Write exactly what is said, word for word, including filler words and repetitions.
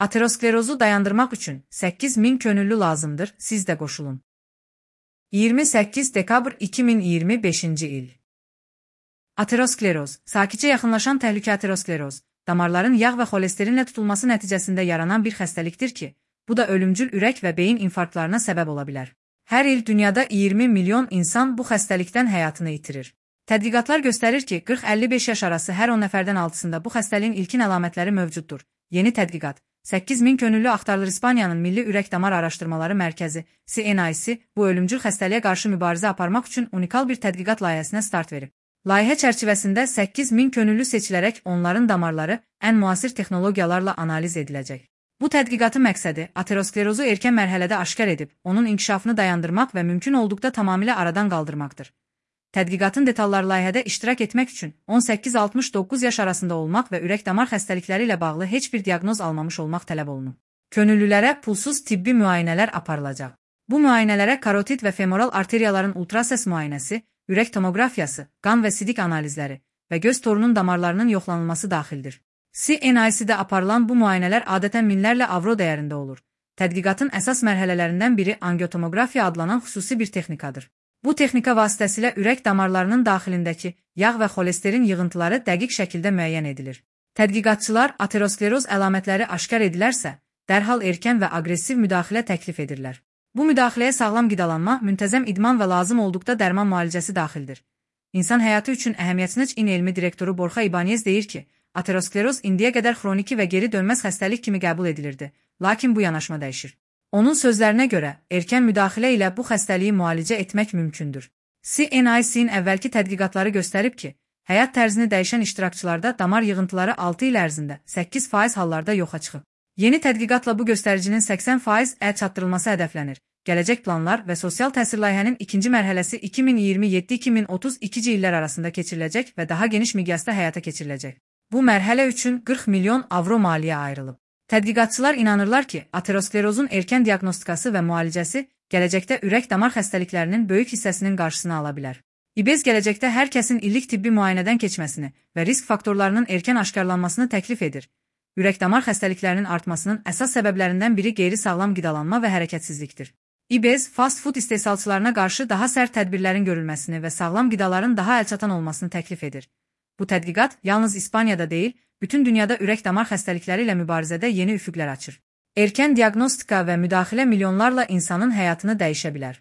Aterosklerozu dayandırmaq üçün səkkiz min könüllü lazımdır, siz də qoşulun. iyirmi səkkiz dekabr iki min iyirmi beşinci il. Ateroskleroz, sakitcə yaxınlaşan təhlükə ateroskleroz, damarların yağ və xolesterinlə tutulması nəticəsində yaranan bir xəstəlikdir ki, bu da ölümcül ürək və beyin infarktlarına səbəb ola bilər. Hər il dünyada iyirmi milyon insan bu xəstəlikdən həyatını itirir. Tədqiqatlar göstərir ki, qırx əlli beş yaş arası hər on nəfərdən altısında bu xəstəliyin ilkin əlamətləri mövcuddur. Yeni tədqiqat, səkkiz min könüllü axtarılır. İspaniyanın Milli Ürək Damar Araşdırmaları Mərkəzi C N I C bu ölümcül xəstəliyə qarşı mübarizə aparmaq üçün unikal bir tədqiqat layihəsinə start verib. Layihə çərçivəsində səkkiz min könüllü seçilərək onların damarları ən müasir texnologiyalarla analiz ediləcək. Bu tədqiqatın məqsədi aterosklerozu erkən mərhələdə aşkar edib, onun inkişafını dayandırmaq və mümkün olduqda tamamilə aradan qaldırmaqdır. Tədqiqatın detalları layihədə iştirak etmək üçün on səkkiz altmış doqquz yaş arasında olmaq və ürək-damar xəstəlikləri ilə bağlı heç bir diaqnoz almamış olmaq tələb olunub. Könüllülərə pulsuz tibbi müayinələr aparılacaq. Bu müayinələrə karotid və femoral arteriyaların ultrasəs müayinəsi, ürək tomoqrafiyası, qan və sidik analizləri və göz torunun damarlarının yoxlanılması daxildir. C N I C-də aparılan bu müayinələr adətən minlərlə avro dəyərində olur. Tədqiqatın əsas mərhələlərindən biri angiotomoqrafiya adlanan xüsusi bir texnikadır. Bu texnika vasitəsilə ürək damarlarının daxilindəki yağ və xolesterin yığıntıları dəqiq şəkildə müəyyən edilir. Tədqiqatçılar ateroskleroz əlamətləri aşkar edilərsə, dərhal erkən və aqressiv müdaxilə təklif edirlər. Bu müdaxiləyə sağlam qidalanma, müntəzəm idman və lazım olduqda dərman müalicəsi daxildir. İnsan həyatı üçün əhəmiyyətli İN elmi direktoru Borja Ibanez deyir ki, ateroskleroz indiyə qədər xroniki və geri dönməz xəstəlik kimi qəbul edilirdi, lakin bu yanaşma dəyişir. Onun sözlərinə görə, erkən müdaxilə ilə bu xəstəliyi müalicə etmək mümkündür. C N I C-in əvvəlki tədqiqatları göstərib ki, həyat tərzini dəyişən iştirakçılarda damar yığıntıları altı il ərzində səkkiz faiz hallarda yoxa çıxıb. Yeni tədqiqatla bu göstəricinin səksən faiz ə çatdırılması hədəflənir. Gələcək planlar və sosial təsir layihənin ikinci mərhələsi iki min iyirmi yeddi iki min otuz ikinci illər arasında keçiriləcək və daha geniş miqyasda həyata keçiriləcək. Bu mərhələ üçün qırx milyon avro maliyyə ayrılıb. Tədqiqatçılar inanırlar ki, aterosklerozun erkən diaqnostikası və müalicəsi gələcəkdə ürək-damar xəstəliklərinin böyük hissəsinin qarşısını ala bilər. İBEZ gələcəkdə hər kəsin illik tibbi müayinədən keçməsini və risk faktorlarının erkən aşkarlanmasını təklif edir. Ürək-damar xəstəliklərinin artmasının əsas səbəblərindən biri qeyri-sağlam qidalanma və hərəkətsizlikdir. İBEZ, fast food istehsalçılarına qarşı daha sərt tədbirlərin görülməsini və sağlam qidaların daha əlçatan olmasını təklif edir. Bu tədqiqat yalnız İspaniyada deyil, bütün dünyada ürək-damar xəstəlikləri ilə mübarizədə yeni üfüqlər açır. Erkən diaqnostika və müdaxilə milyonlarla insanın həyatını dəyişə bilər.